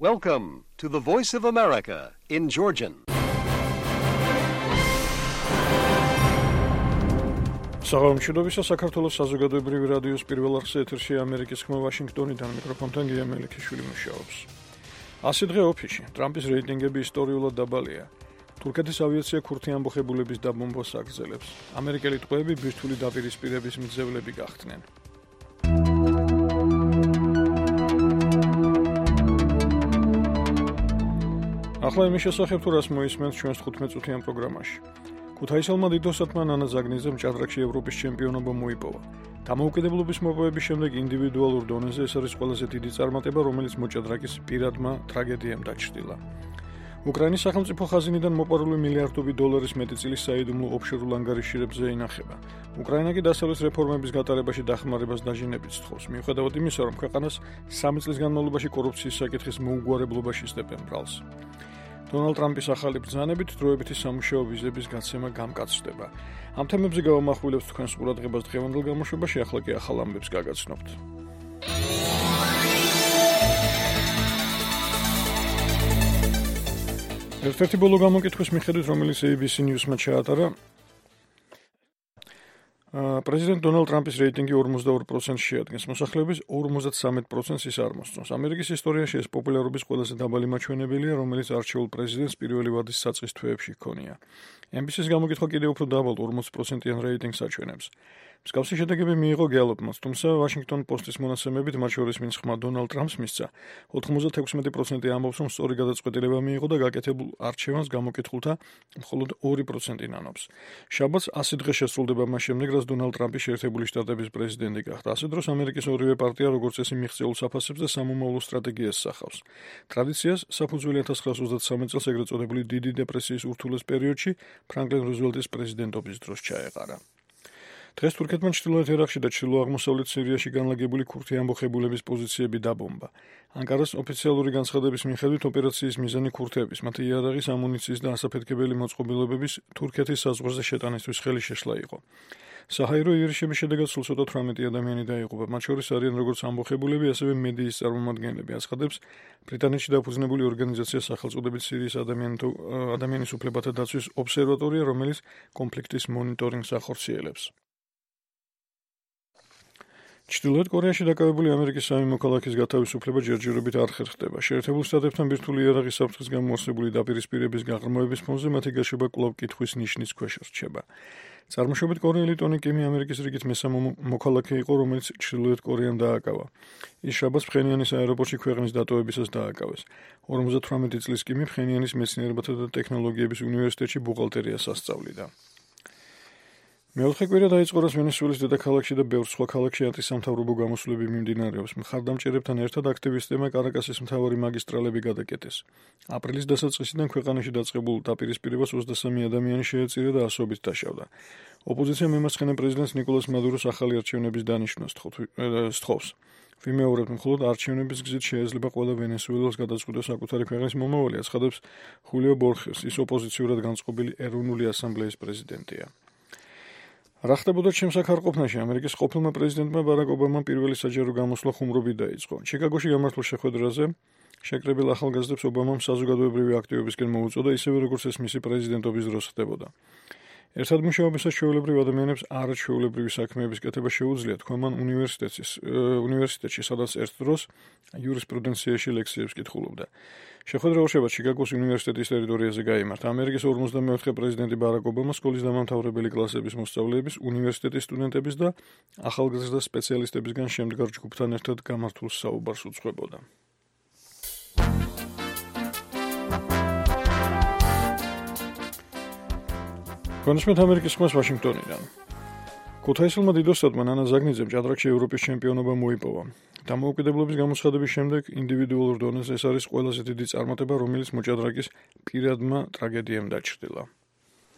Welcome to the Voice of America in Georgian. საღამოშობისა საქართველოს საზოგადოებრივი რადიოს პირველ არხზე ეთერში ამერიკის ხმა ვაშინგტონიდან მიკროფონთან გია მელიქიშვილი მუშაობს. 100 დღე ოფისში ტრამპის რეიტინგები ისტორიულად დაბალია. თურქეთის ავიაცია ქურთი ამბოხებულების დაბომბვას აგრძელებს. ამერიკელი ტყვეები ბირთვული დაპირისპირების მძევლები გახდნენ. ახლა იმის შესახებ თუ რას მოისმენთ ჩვენს 15 წუთიან პროგრამაში. ქუთაისელმა დიდოსათმა ნანა ზაგნიძემ ჭადრაკში ევროპის ჩემპიონობა მოიპოვა. დამოუკიდებლობის მოპოვების შემდეგ ინდივიდუალურ დონეზე ეს არის ყველაზე დიდი წარმატება, რომელიც მოჭადრაკის პირადმა ტრაგედიამ დაჩრდილა. უკრაინის სახელმწიფო ხაზინიდან მოპარული მილიარდობით დოლარის მეტწილის საიდუმლო ოფშორულ ანგარიშირებზე ინახება. უკრაინა კი დასავლეთ რეფორმების გატარებაში დახმარებას დაჟინებით სთხოვს, მიუხედავად იმისა, რომ ქვეყანას 3 წლის განმავლობაში კორუფციის საკითხის მოუგვარებლობაში სდებენ ბრალს. დონალდ ტრამპის ახალი ბრძანებით დროებითი სამუშაო ვიზების გაცემა გამკაცდება. ამ თემებზე გავამახვილებთ თქვენს ყურადღებას დღევანდელ გამოშვებაში, ახლა კი ახალ ამბებს გაგაცნობთ. ერთ-ერთი ბოლო გამოკითხვის მიხედვით, რომელიც ABC News-მა ჩაატარა, პრეზიდენტ დონალდ ტრამპის რეიტინგი 42% შეადგენს, მოსახლეობის 53%-ს ის არ მოსწონს. ამერიკის ისტორიაში ეს პოპულარობის ყველაზე დაბალი მაჩვენებელია, რომელიც არჩეულ პრეზიდენტს პირველი ვადის საწყის თვეებში ჰქონია. NBC-ს გამოკითხვა კიდევ უფრო დაბალ 40%-იან რეიტინგს აჩვენებს. მსგავსი შედეგები მიიღო გელოპმაც, თუმცა ვაშინგტონ პოსტის მონაცემებით, მათ შორის ვინც ხმა დონალდ ტრამპს მისცა, 96% ამბობს, რომ სწორი გადაწყვეტილება მიიღო და გაკეთებულ არჩევანს გამოკითხულთა მხოლოდ 2% ნანობს. შაბათს 100 დღე შესრულდება მას შემდეგ, რაც დონალდ ტრამპი შეერთებული შტატების პრეზიდენტი გახდა. ასე დროს ამერიკის ორივე პარტია როგორც წესი მიღწეულ საფასებს და სამომავლო სტრატეგიას სახავს. ტრადიციას საფუძველი 1933 წელს ეგრეთ წოდებული დიდი დეპრესიის ურთულეს პერიოდში ფრანკლინ რუზველტის პრეზიდენტობის დროს ჩაეყარა. დღეს თურქეთმა ჩრდილოეთ ერაყში და ჩრდილო-აღმოსავლეთ სირიაში განლაგებული ქურთი ამბოხებულების პოზიციები დაბომბა. ანკარას ოფიციალური განცხადების მიხედვით ოპერაციის მიზანი ქურთების, მათ იარაღის, ამუნიციის და ასაფეთქებელი მოწყობილობების თურქეთის საზღვარზე შეტანისთვის ხელი შეშლა იყო. საჰაერო იერიშების შედეგად სულ ცოტა 18 ადამიანი დაიღუპა, მათ შორის არიან როგორც ამბოხებულები, ასევე მედიის წარმომადგენლები, აცხადებს ბრიტანეთში დაფუძნებული ორგანიზაცია სახელწოდებით სირიის ადამიანის უფლებათა დაცვის ობსერვატორია, რომელიც კონფლიქტის მონიტორინგს ახორციელებს. ჩრდილოეთ კორეაში დაკავებული ამერიკის სამი მოქალაქის გათავისუფლება ჯერჯერობით არ ხერხდება. შეერთებულ შტატებთან ბირთვული იარაღის საფრთხის გამო არსებული დაპირისპირების გაღრმავების ფონზე მათი გაშვება კვლავ კითხვის ნიშნის ქვეშ რჩება. წარმოშობით კორეელი ტონი კიმი ამერიკის რიგით მესამე მოქალაქე იყო, რომელიც ჩრდილოეთ კორეამ დააკავა. ის შაბათს ფხენიანის აეროპორტში ქვეყნის დატოვებისას დააკავეს. 58 წლის კიმი ფხენიანის მეცნიერებათა და ტექნოლოგიების უნივერსიტეტში ბუღალტერიას ასწავლიდა. მეოთხე კვირა დაიწყო, რაც ვენესუელის დედაქალაქში და ბევრ სხვა ქალაქში ანტისამთავრობო გამოსვლები მიმდინარეობს. მხარდამჭერებთან ერთად აქტივისტებმა კარაკასის მთავარი მაგისტრალები გადაკეტეს. აპრილის დასაწყისიდან ქვეყანაში დაწყებულ დაპირისპირებას 23 ადამიანი შეეწირა და ასობით დაშავდა. ოპოზიციამ მემარცხენე პრეზიდენტს ნიკოლას მადუროს ახალი არჩევნების დანიშვნას სთხოვს. ვიმეორებთ, მხოლოდ არჩევნების გზით შეიძლება ყველა ვენესუელას გადაწყვიტოს საკუთარი ქვეყნის მომავალი, აცხადებს ხულიო ბორხეს, ის ოპოზიციურად განწყობილი ეროვნული ასამბლეის პრეზიდენტია. რა ხდებოდა ჩემს აქარყოფნაში? ამერიკის ყოფილმა პრეზიდენტმა ბარაკ ობამამ პირველი საჯარო გამოსვლა ხუმრობით დაიწყო. ჩიკაგოში გამართულ შეხვედრაზე შეკრებილ ახალგაზრდებს ობამამ საზოგადოებრივი აქტივობისკენ მოუწოდა, ისევე როგორც ეს მისი პრეზიდენტობის დროს ხდებოდა. ერთად მუშაობისას ჩვეულებრივ ადამიანებს არაჩვეულებრივი საქმეების კეთება შეუძლიათ, თქვა მან უნივერსიტეტში, სადაც ერთ დროს იურისპრუდენციაში ლექციებს კითხულობდა. შეხვედრა ორშაბათს ჩიკაგოს უნივერსიტეტის ტერიტორიაზე გაიმართა. ამერიკის 54 პრეზიდენტი ბარაკ ობამა სკოლის დამამთავრებელი კლასების მოსწავლეების, უნივერსიტეტის სტუდენტების და ახალგაზრდა სპეციალისტებისგან შემდგარ ჯგუფთან ერთად გამართულ საუბარს უძღვებოდა. კონსმეთ ამერიკის ხმას ვაშინგტონიდან. ქუთაისელმა დიდოსათმა ნანა ზაგნიძემ ჭადრაკში ევროპის ჩემპიონობა მოიპოვა. დამოუკიდებლობის გამოცხადების შემდეგ ინდივიდუალურ დონეზე ეს არის ყველაზე დიდი წარმატება, რომელიც მოჭადრაკის პირადმა ტრაგედიამ დაჩრდილა.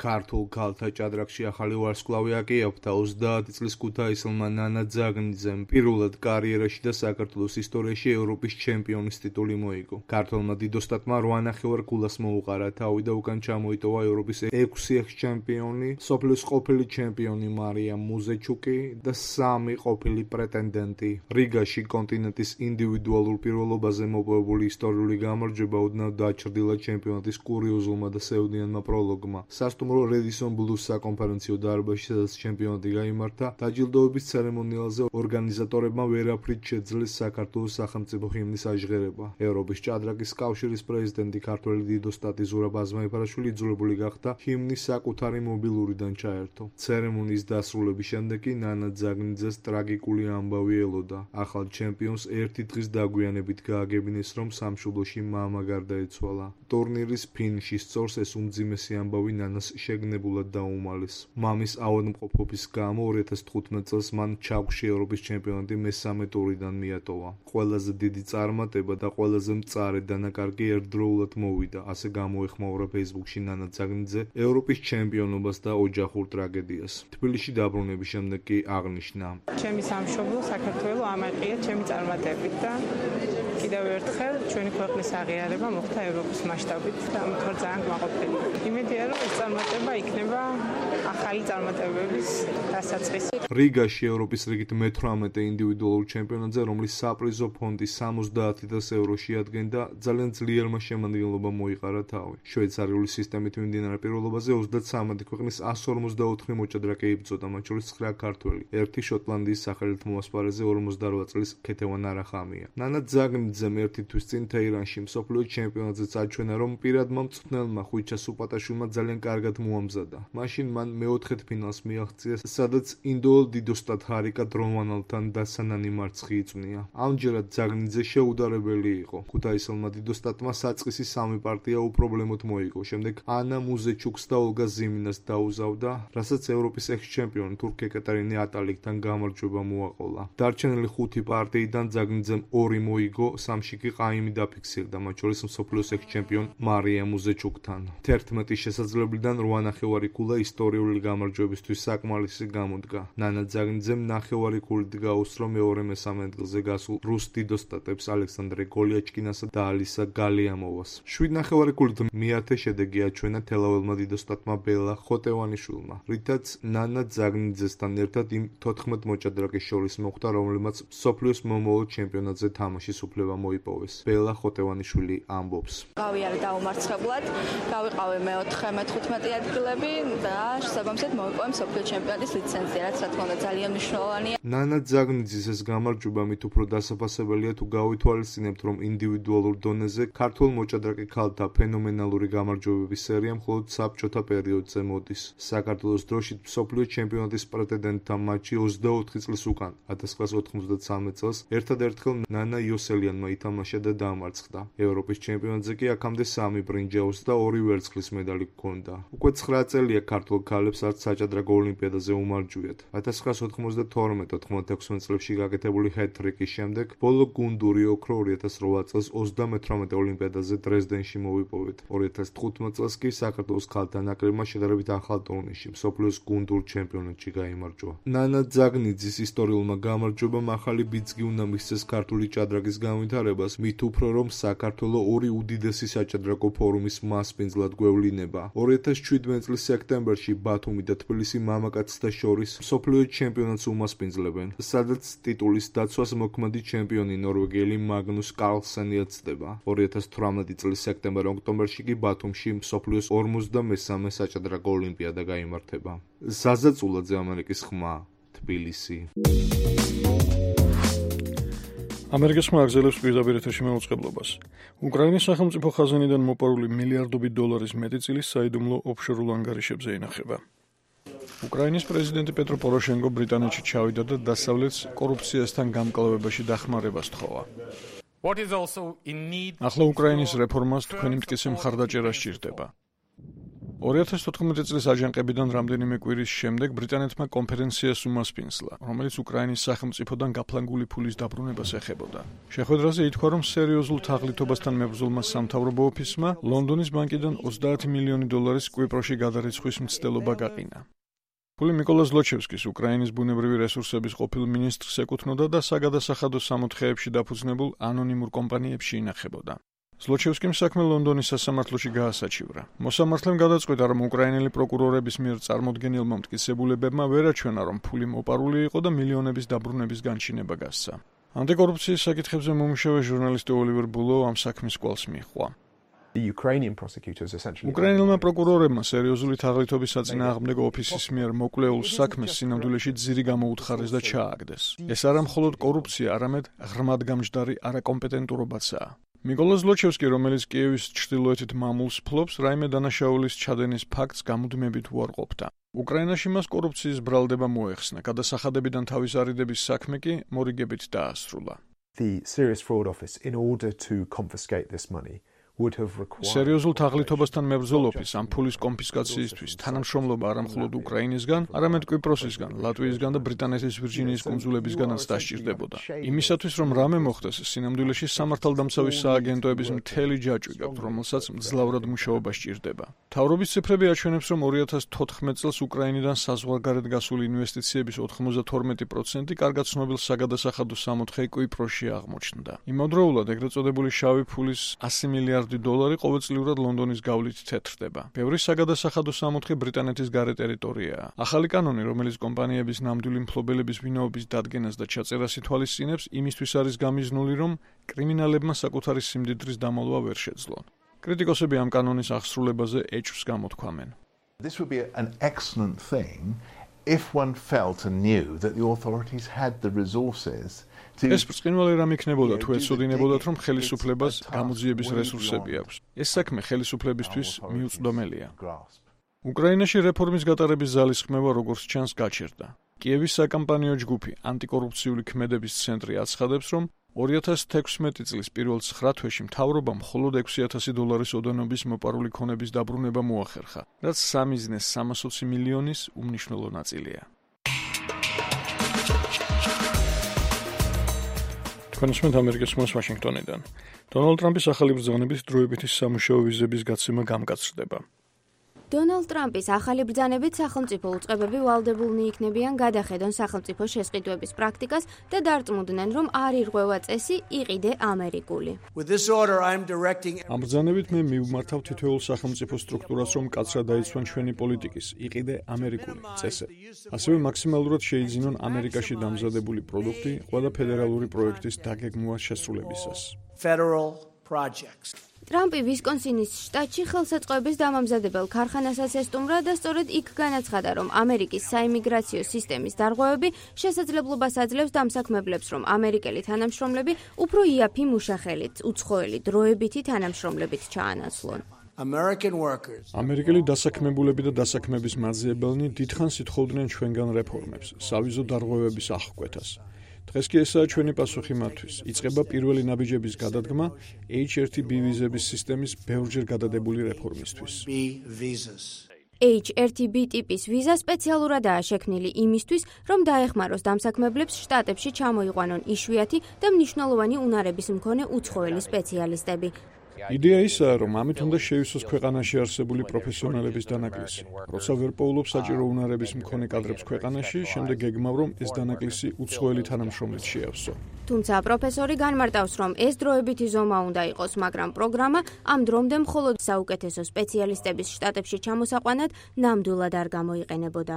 ქართულ ქალთა ჭადრაკში ახალი ვარსკვლავი აკიაფთა 30 წლის ქუთაისელმა ნანა ძაგნიძემ პირველად კარიერაში და საქართველოს ისტორიაში ევროპის ჩემპიონის ტიტული მოიგო. ქართველმა დიდოსტატმა 8.5 ქულას მოუყარა თავი და უკან ჩამოიტოვა ევროპის 6 ექს-ჩემპიონი, სოფლის ყოფილი ჩემპიონი მარია მუზეჩუკი და 3 ყოფილი პრეტენდენტი. რიგაში კონტინენტის ინდივიდუალურ პირველობაზე მოპოვებული ისტორიული გამარჯვება ოდნავ დაჩრდილა ჩემპიონატის კურიოზულმა და სევდიანმა პროლოგმა. სასტუმრო რედისონ ბლუს საკონფერენციო დარბაზში, სადაც ჩემპიონატი გაიმართა, დაჯილდოების ცერემონიალზე ორგანიზატორებმა ვერაფრით შეძლეს საქართველოს სახელმწიფო ჰიმნის აჟღერება. ევროპის ჭადრაკის კავშირის პრეზიდენტი ქართველი დიდოსტატი ზურაბ აზმაიფარაშვილი იძულებული გახდა ჰიმნის საკუთარი მობილურიდან ჩაერთო. ცერემონიის დასრულების შემდეგ კი ნანა ძაგნიძეს ტრაგიკული ამბავი ელოდა. ახალ ჩემპიონს ერთი დღის დაგვიანებით გააგებინეს, რომ სამშობლოში მამა გარდაეცვალა. ტურნირის ფინიში სწორს ეს უმძიმესი ამბავი ნანას შეგნებულად დაუმალეს. მამის ავადმყოფობის გამო 2015 წელს მან ჩაგვში ევროპის ჩემპიონატი მესამე ტურიდან მიატოვა. ყველაზე დიდი წარმატება და ყველაზე მწარე დანაკარგი ერთდროულად მოვიდა, ასე გამოეხმაურა Facebook-ში ნანა ძაგნიძე ევროპის ჩემპიონობას და ოჯახურ ტრაგედიას. თბილისში დაბრუნების შემდეგ კი აღნიშნა: ჩემი სამშობლო საქართველო ამაყია ჩემი წარმატებით და კიდევ ერთხელ ჩვენი ქვეყნის აღიარება მოხდა ევროპის მასშტაბით და ამით ვარ ძალიან კმაყოფილი. იმედია, რომ ეს წარმატება იქნება ახალი წარმატებების დასაწყისი. რიგაში ევროპის რიგით მე-18 ინდივიდუალურ ჩემპიონატზე, რომლის საპრიზო ფონდი 70,000 ევრო შეადგენდა, ძალიან ძლიერმა შემადგენლობამ მოიყარა თავი. შვეიცარიული სისტემით მიმდინარე პირველობაზე 33 ქვეყნის 154 მოჭადრაკე იბრძოდა, მათ შორის 9 ქართველი. ერთი შოტლანდიის სახელით მომასპარეზე 48 წლის ქეთევან არახამია. ნანა ძაგნიძემ ერთი თვის წინ თეირანში მსოფლიო ჩემპიონატზეც აჩვენა, რომ პირადმა მწვრთნელმა ხვიჩა სუპატაშვილმა ძალიან კარგად მოამზადა. მაშინ მან მეოთხედ ფინალს მიაღწია, სადაც ინდოელ დიდოსტატ ჰარიკა დრომანალთან დასანანი მარცხი იწვნია. ამჯერად ძაგნიძე შეუდარებელი იყო. ქუთაისელმა დიდოსტატმა საწყისი 3 პარტია უპრობლემოდ მოიგო. შემდეგ ანა მუზეჩუკს და ოლგა ზიმინას დაუზავდა, რასაც ევროპის ექს-ჩემპიონი თურქ ეკატერინე ატალიკთან გამარჯვება მოაყოლა. დარჩენილი 5 პარტიიდან ძაგნიძემ 2 მოიგო, 3-ში კი ყაიმი დაფიქსირდა, მათ შორის მსოფლიოს ექს-ჩემპიონ მარია მუზეჩუკთან. 11 შესაძლებლიდან 8.5 ქულა ისტორიული გამარჯვებისთვის საკმარისი გამოდგა. ნანა ძაგნიძემ 9.5 ქულით გაუსწრო მეორე-მესამე ადგილზე გასულ რუს დიდოსტატებს ალექსანდრე გოლიაჩკინასა და ალისა გალიამოვას. 7.5 ქულით მეათე შედეგი აჩვენა თელაველმა დიდოსტატმა ბელა ხოტევანიშვილმა, რითაც ნანა ძაგნიძესთან ერთად იმ 14 მოჭადრაკეს შორის მოხვდა, რომლებმაც მსოფლიოს მომავალ ჩემპიონატზე თამაშის უფლება მოიპოვეს. ბელა ხოტევანიშვილი ამბობს: გავიარე დაუმარცხებლად, გავიყავი მე-4, მე-15 ადგილები და შესაბამისად მოვიპოვე მსოფლიო ჩემპიონატის ლიცენზია, რაც რა თქმა უნდა ძალიან მნიშვნელოვანია. ნანა ძაგნიძის ეს გამარჯვება მით უფრო დასაფასებელია, თუ გავითვალისწინებთ, რომ ინდივიდუალურ დონეზე ქართველ მოჭადრაკე ქალთა ფენომენალური გამარჯვებების სერია მხოლოდ საბჭოთა პერიოდზე მოდის. საქართველოს დროშით მსოფლიო ჩემპიონატის პრეტენდენტთა მატჩი 24 წლის უკან, 1993 წელს ერთადერთხელ ნანა იოსელიანმა ითამაშა და დაამარცხდა. ევროპის ჩემპიონატზე კი აქამდე 3 ბრინჯაოს და 2 ვერცხლის медალი ჰქონდა. უკვე 9 წელია ქართულ ქალებს არც საჭადრაკო ოლიმპიადაზე უმარჯვიათ. 1992-96 წლებში გაკეთებული ჰეტ-ტრიკის შემდეგ ბოლო გუნდური ოქრო 2008 წელს 38 ოლიმპიადაზე დრეზდენში მოვიპოვეთ. 2015 წელს კი საქართველოს ქალთა ნაკრებმა შედარებით ახალ ტურნირში მსოფლიოს გუნდურ ჩემპიონატში გაიმარჯვა. ნანა ძაგნიძის ისტორიულმა გამარჯვებამ ახალი ბიძგი უნდა მისცეს ქართული ჭადრაკის განვითარებას, მით უფრო რომ საქართველო 2 უდიდესი საჭადრაკო ფორუმის მასპინძლად გვევლინება. 2017 წლის სექტემბერში ბათუმი და თბილისი მამაკაცთა შორის მსოფლიო ჩემპიონატს უმასპინძლებენ, სადაც ტიტულის დაცვას მოქმედი ჩემპიონი ნორვეგიელი მაგნუს კარლსენი ეცდება. 2018 წლის სექტემბერ-ოქტომბერში კი ბათუმში მსოფლიოს 53-მე საჭადრაკო ოლიმპიადა გაიმართება. ზაზა წულაძე, ამერიკის ხმა, თბილისი. ამერიკის ხმა აგზელებს პირდაპირ ეთერში მეუწყებლობას. უკრაინის სახელმწიფო ხაზინიდან მოპარული მილიარდობით დოლარის მეტი წილი საიდუმლო ოფშორულ ანგარიშებზე ინახება. უკრაინის პრეზიდენტი პეტრო პოროშენკო ბრიტანეთში ჩავიდა და დასავლეთს კორუფციასთან გამკლავებაში დახმარებას თხოვა. ახლა უკრაინის რეფორმას თქვენი მტკიცე მხარდაჭერა სჭირდება. 2014 წლის აჯანყებიდან რამდენიმე კვირის შემდეგ ბრიტანეთმა კონფერენციას უმასპინძლა, რომელიც უკრაინის სახელმწიფოდან გაფლანგული ფულის დაბრუნებას ეხებოდა. შეხვედრაზე ითქვა, რომ სერიოზულ თაღლითობასთან მებრძოლმა სამთავრობო ოფისმა ლონდონის ბანკიდან 30 მილიონი დოლარის კვიპროსში გადარიცხვის მცდელობა გაყინა. ფული მიკოლა ზლოჩევსკის უკრაინის ბუნებრივი რესურსების ყოფილ მინისტრს ეკუთვნოდა და საგადასახადო სამოთხეებში დაფუძნებულ ანონიმურ კომპანიებში ინახებოდა. ზლოჩევსკიმ საქმე ლონდონის სასამართლოში გაასაჩივრა. მოსამართლემ გადაწყვიტა, რომ უკრაინელი პროკურორების მიერ წარმოდგენილმა მტკიცებულებებმა ვერ აჩვენა, რომ ფული მოპარული იყო და მილიონების დაბრუნების განჩინება გასცა. ანტიკორუფციის საკითხებზე მომუშავე ჟურნალისტი ოლივერ ბულო ამ საქმის კვალს მიჰყვა. უკრაინელმა პროკურორებმა სერიოზული თაღლითობის საწინააღმდეგო ოფისის მიერ მოკვლეულ საქმეს სინამდვილეში ძირი გამოუთხარეს და ჩააგდეს. ეს არა მხოლოდ კორუფცია, არამედ ღრმადგამჯდარი არაკომპეტენტურობაცაა. მიკოლა ზლოჩევსკი, რომელიც კიევის ჩრდილოეთით მამულს ფლობს, რაიმე დანაშაულის ჩადენის ფაქტს გამუდმებით უარყოფდა. უკრაინაში მას კორუფციის ბრალდება მოეხსნა, გადასახადებიდან თავის არიდების საქმე კი მორიგებით დაასრულა. სერიოზულ თაღლითობასთან მებრძოლობის ამ ფულის კონფისკაციისთვის თანამშრომლობა არა მხოლოდ უკრაინისგან, არამედ კვიპროსისგან, ლატვიისგან და ბრიტანეთის ვირჯინიის კუნძულებისგანაც დასჭირდებოდა. იმისათვის, რომ რამე მოხდეს, სინამდვილეში სამართალდამცავი სააგენტოების მთელი ჯაჭვი გაქვთ, რომელსაც მძლავრად მუშაობა სჭირდება. მთავრობის ციფრები აჩვენებს, რომ 2014 წელს უკრაინიდან საზღვარგარეთ გასული ინვესტიციების 92% კარგად ცნობილ საგადასახადო სამოთხე კვიპროსში აღმოჩნდა. იმავდროულად ეგრეთ წოდებული შავი ფულის 100 მილიარდი $100 ყოველწლიურად ლონდონის გავლით თეთრდება. ბევრი საგადასახადო სამოთხე ბრიტანეთის გარე ტერიტორიაა. ახალი კანონი, რომელიც კომპანიების ნამდვილი მფლობელების ვინაობის დადგენას და ჩაწერას ითვალისწინებს, იმისთვის არის გამიზნული, რომ კრიმინალებმა საკუთარი სიმდიდრის დამალვა ვერ შეძლონ. კრიტიკოსები ამ კანონის აღსრულებაზე ეჭვს გამოთქვამენ. This would be an excellent thing if one felt and knew that the authorities had the resources. ეს ბრწყინვალე რამ იქნებოდა თუ ეცოდინებოდათ, რომ ხელისუფლებას გამოძიების რესურსები აქვს. ეს საქმე ხელისუფლებისთვის მიუწვდომელია. უკრაინაში რეფორმის გატარების ძალისხმევა როგორც ჩანს გაჩერდა. კიევის საკამპანიო ჯგუფი ანტიკორუფციული ქმედების ცენტრი აცხადებს, რომ 2016 წლის პირველ 9 თვეში მთავრობამ მხოლოდ $6,000 ოდენობის მოპარული ქონების დაბრუნება მოახერხა, რაც სამიზნეს 320 მილიონის უმნიშვნელო ნაწილია. თქვენსმენთ ამერიკის ხმას ვაშინგტონიდან. დონალდ ტრამპის ახალი ბრძანების დროებითი სამუშაო ვიზების გაცემა გამკაცრდება. დონალდ ტრამპის ახალი ბრძანებით სახელმწიფო უწყებები ვალდებულნი იქნებიან გადახედონ სახელმწიფო შესყიდვების პრაქტიკას და დარწმუნდნენ, რომ არ ირღვევა წესი იყიდე ამერიკული. ამ ბრძანებით მე მივმართავ თითოეულ სახელმწიფო სტრუქტურას, რომ კაცრად დაიცვან ჩვენი პოლიტიკის იყიდე ამერიკული წესები. ასევე მაქსიმალურად შეიძინონ ამერიკაში დამზადებული პროდუქტი ყველა ფედერალური პროექტის დაგეგმვა შესრულებისას. ტრამპი ვისკონსინის შტატში ხელსაწყოების დამამზადებელ ქარხანასაც ესტუმრა და სწორედ იქ განაცხადა, რომ ამერიკის საიმიგრაციო სისტემის დარღვევები შესაძლებლობას აძლევს დამსაქმებლებს, რომ ამერიკელი თანამშრომლები უფრო იაფი მუშახელით, უცხოელი დროებითი თანამშრომლებით ჩაანაცვლონ. ამერიკელი დასაქმებულები და დასაქმების მაძიებელნი დიდხანს ითხოვდნენ ჩვენგან რეფორმებს, სავიზო დარღვევების აღკვეთას. დღეს კი ესაა ჩვენი პასუხი მათთვის. იწყება პირველი ნაბიჯების გადადგმა H1B ვიზების სისტემის ბევრჯერ გადადებული რეფორმისთვის. H1B ტიპის ვიზა სპეციალურადაა შექმნილი იმისთვის, რომ დაეხმაროს დამსაქმებლებს შტატებში ჩამოიყვანონ იშვიათი და მნიშვნელოვანი უნარების მქონე უცხოელი სპეციალისტები. იდეა ისაა, რომ ამით უნდა შეივსოს ქვეყანაში არსებული პროფესიონალების დანაკლისი. როცა ვერ პოულობს საჭირო უნარების მქონე კადრებს ქვეყანაში, შემდეგ გეგმავ, რომ ეს დანაკლისი უცხოელი თანამშრომლით შეავსო. თუმცა პროფესორი განმარტავს, რომ ეს დროებითი ზომა უნდა იყოს, მაგრამ პროგრამა ამ დრომდე მხოლოდ საუკეთესო სპეციალისტების შტატებში ჩამოსაყვანად ნამდვილად არ გამოიყენებოდა.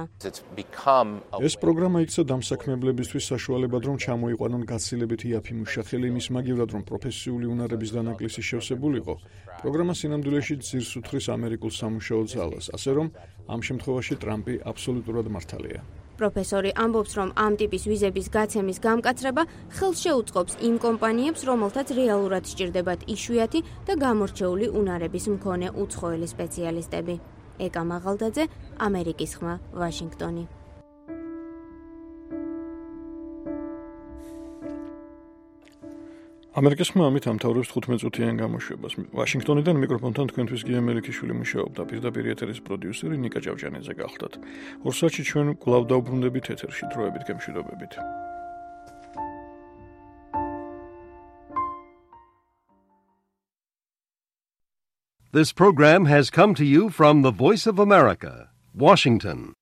ეს პროგრამა იქცა დამსაქმებლებისთვის საშუალებად, რომ ჩამოიყვანონ გაცილებით იაფი მუშახელი იმის მაგივრად, რომ პროფესიული უნარების დანაკლისი შევსებულიყო. პროგრამა სინამდვილეში ძირს უთხრის ამერიკულ სამუშაო ძალას, ასე რომ ამ შემთხვევაში ტრამპი აბსოლუტურად მართალია. პროფესორი ამბობს, რომ ამ ტიპის ვიზების გაცემის გამკაცრება ხელს შეუწყობს იმ კომპანიებს, რომელთაც რეალურად სჭირდებათ იშვიათი და გამორჩეული უნარების მქონე უცხოელი სპეციალისტები. ეკა მაღალდაძე, ამერიკის ხმა, ვაშინგტონი. ამერიკის ხმა ამით ამთავრებს 15 წუთიან გამოშვებას. ვაშინგტონიდან მიკროფონთან თქვენთვის გია მელიქიშვილი მუშაობდა, პირდაპირ ეთერის პროდიუსერი ნიკა ჭავჭანიძე გახლდათ. ორ საათში ჩვენ კვლავ დავბრუნდებით ეთერში, დროებით გემშვიდობებით. This program has come to you from the Voice of America, Washington.